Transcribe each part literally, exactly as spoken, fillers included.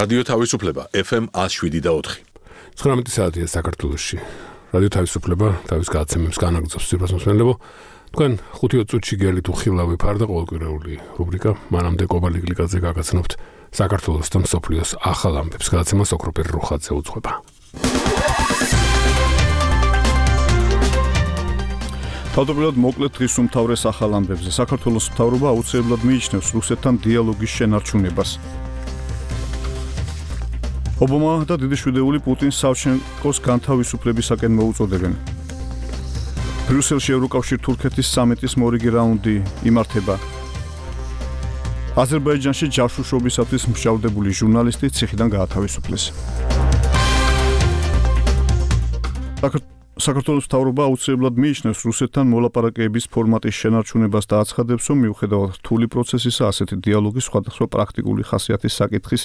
რადიო თავისუფლება ეფ ემ one oh seven და four. ცხრამეტი საათია საქართველოში. რადიო თავისუფლება თავის გადაცემებს განაგრძობს სიტყვას მოსმენლებო. თქვენ ხუთი წუთში გელით უხილავი ფარ და ყოველკვირეული რუბრიკა მანამდე კობალიგლიკაძე გაგაცნობთ საქართველოს და მსოფლიოს ახალ ამბებს. გადაცემას ოქროპერ რუხაძე უძღვება. თავდაპირველად მოკლედ დღის უმთავრეს ახალ ამბებზე. საქართველოს მთავრობა აუცილებლად მიიჩნევს რუსეთთან დიალოგის შენარჩუნებას. ობამა და დიდიშვიდეული პუტინს სავჩენკოს განთავისუფლებისაკენ მოუწოდებენ. ბრიუსელში ევროკავშირ-თურქეთის სამიტის მორიგი რაუნდი იმართება. აზერბაიჯანში ჯაშუშობისათვის მსჯავრდებული ჟურნალისტი ციხიდან გაათავისუფლეს. საქართველოს მთავრობა აუცილებლად მიიჩნევს რუსეთთან მოლაპარაკებების ფორმატის შენარჩუნებას და აცხადებს, რომ მიუხედავად რთული პროცესისა, ასეთი დიალოგის სხვადასხვა პრაქტიკული ხასიათის საკითხის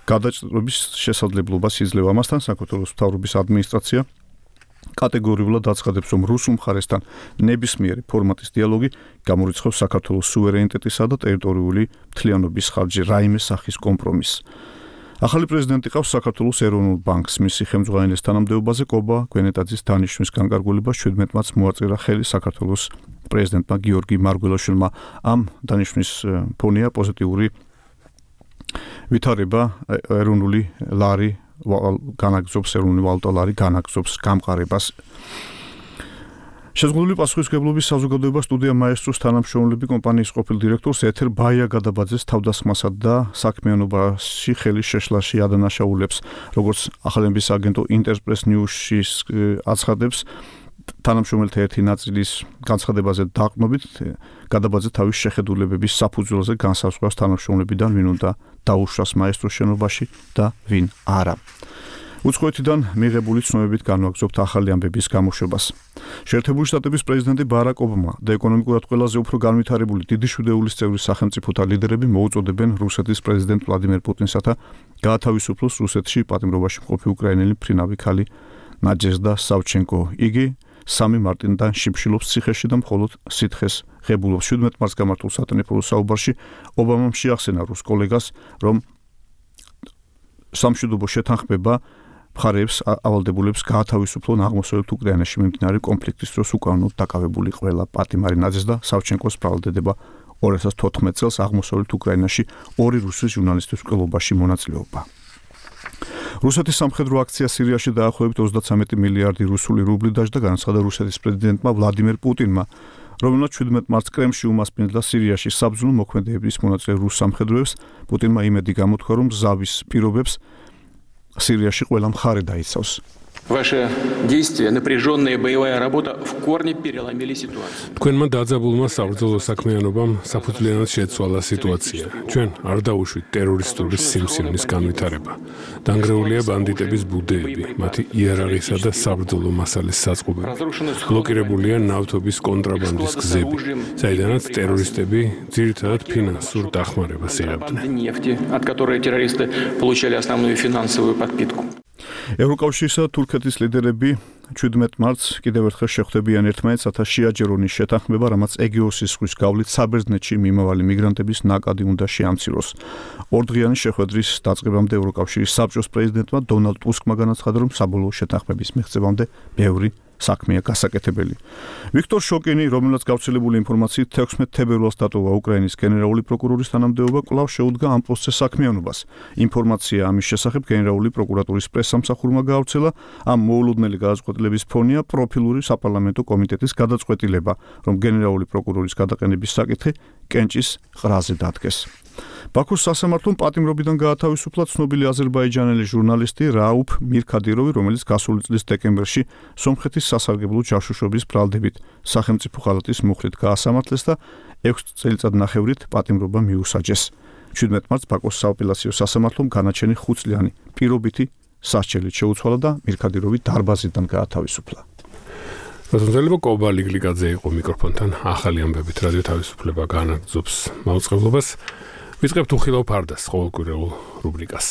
გადაჭრების შესაძლებლობას იძლევა. ამასთან საქართველოს მთავრობის ადმინისტრაცია კატეგორიულად აცხადებს, რომ რუსულ მხარესთან ნებისმიერი ფორმატის დიალოგი გამორიცხავს საქართველოს სუვერენიტეტისა და ტერიტორიული მთლიანობის ხარჯზე რაიმე სახის კომპრომისს. ახალი პრეზიდენტი ყავს საქართველოს ეროვნულ ბანკს. მისი ხელმძღვანელის თანამდებობაზე კობა გვენეტაძის დანიშვნის განკარგულებას შვიდმეტ მარტს მოაწერა ხელი საქართველოს პრეზიდენტმა გიორგი მარგველაშვილმა. ამ დანიშვნის ფონია პოზიტიური ვითარება ეროვნული ლარი განაგზობს ეროვნული ვალუტა ლარი განაგზობს გამყარებას. შეზღუდული პასუხისმგებლობის საზოგადოება სტუდია მაესტროს თანამშრომლები კომპანიის ყოფილ დირექტორს ეთერ ბაია გადაბაძეს თავდასხმასა და საქმიანობაში ხელის შეშლაში ადანაშაულებს. როგორც ახალების აგენტო ინტერპრეს ნიუსში აცხადებს, თანამშრომელთა ერთი ნაწილის განცხადებაზე დაყრდნობით გადაბაძე თავის შეხედულებების საფუძველზე განსაზღვრავს თანამშრომლებიდან ვინ უნდა დაუშვას მაესტროს შენობაში და ვინ არა. უცხოეთიდან მიღებული ცნობებით განვაგრძობთ ახალი ამბების გამოშვებას. შეერთებული შტატების პრეზიდენტი ბარაკ ობამა და ეკონომიკურად ყველაზე უფრო განვითარებული დიდიშვიდეულის წევრი სახელმწიფოთა ლიდერები მოუწოდებენ რუსეთის პრეზიდენტ ვლადიმერ პუტინსათა გაათავისუფლოს რუსეთში პატიმრობაში მყოფი უკრაინელი ფრინავი ქალი ნაჯეზდა სავჩენკო. იგი სამი მარტიდან შიფშილობს ციხეში და მხოლოდ სითხეს ღებულობს. შვიდმეტ მარტს გამართულ სატელეფონო საუბარში ობამამ შეახსენა რუს კოლეგას, რომ სამშვიდობო შეთანხმება მხარეებს ავალდებულებს გაათავისუფლონ აღმოსავლეთ უკრაინაში მიმდინარე კონფლიქტის დროს უკანონოდ დაკავებული ყველა პატიმარი ნაძეს და სავჩენკოს ბრალდება ორი ათას თოთხმეტ წელს აღმოსავლეთ უკრაინაში ორი რუსის ჟურნალისტის მკვლელობაში მონაწილეობა. რუსეთის სამხედრო აქცია სირიაში დაახლოებით ოცდათრამეტი მილიარდი რუსული რუბლი დაჯდა, განაცხადა რუსეთის პრეზიდენტმა ვლადიმერ პუტინმა, რომელმაც შვიდმეტ მარტს კრემლში უმასპინძლა სირიაში საბრძოლო მოქმედებების მონაწილე რუს სამხედროებს. პუტინმა იმედი გამოთქვა, რომ ზავის პირობებს სირიაში ყველა მხარე დაიცავს. Ваши действия, напряженная боевая работа в корне переломили ситуацию. Თქვენმა დაძაბულმა საბრძოლო საქმიანობამ საფუძვლიანად შეცვალა სიტუაცია. ჩვენ არ დაუშვით ტერორისტული სიმსივნის განვითარება. დანგრეულია ბანდიტების ბუდეები, მათი იარაღისა და საბრძოლო მასალის საწყობები. ბლოკირებულია ნავთობის კონტრაბანდის გზები, საიდანაც ტერორისტები ძირითადად ფინანსურ დახმარებას იღებდნენ. От которой террористы получали основную финансовую подпитку. ევროკავშირსა და თურქეთის ლიდერები შვიდმეტ მარტს კიდევ ერთხელ შეხვდებიან ერთმანეთს, რათა შეაჯერონ შეთანხმება, რამაც ეგეოსის ზღვის გავლით საბერძნეთში მიმავალი მიგრანტების ნაკადი უნდა შეამციროს. ორდღიანი შეხვედრის დაწყებამდე ევროკავშირის საბჭოს პრეზიდენტმა დონალდ ტუსკმა განაცხადა, რომ საბოლოო შეთანხმების მიღწევამდე ბევრი საქმეა გასაკეთებელი. ვიქტორ შოკინი, რომელსაც გავრცელებული ინფორმაციით თექვსმეტ თებერვალს დატოვა უკრაინის გენერალური პროკურორის თანამდებობა, კვლავ შეუდგა ამ პროცესის საქმიანობას. ინფორმაცია ამის შესახებ გენერალური პროკურატურის პრესსამსახურმა გაავრცელა. ამ მოულოდნელი გადაწყვეტილების ფონია პროფილური საპარლამენტო კომიტეტის გადაწყვეტილება, რომ გენერალური პროკურორის გადაყენების საკითხი კენჭის ყრაზე დადგეს. ბაქოს სასამართლომ პატიმრობიდან გაათავისუფლა ცნობილი აზერბაიჯანელი ჟურნალისტი რაუფ მირქადიროვი, რომელიც გასული წლის დეკემბერში სომხეთის სასარგებლო ჯაშუშობის ბრალდებით სახელმწიფო ხალატის მუხლით გაასამართლეს და ექვს წელიწადნახევრით პატიმრობა მიუსაჯეს. შვიდმეტ მარტს ბაქოს სააპელაციო სასამართლომ განაჩენი ხუთწლიანი პირობითი სასჯელით შეუცვალა და მირქადიროვი დარბაზიდან გაათავისუფლა. რაზმზელებო კობალიგლიკაძე იყო მიკროფონთან. ახალი ამბებით რადიო თავისუფლება განაგრძობს მაუწყებლობას. ვიწყებთ უხილავ ფარდას ყოველკვირეულ რუბრიკას.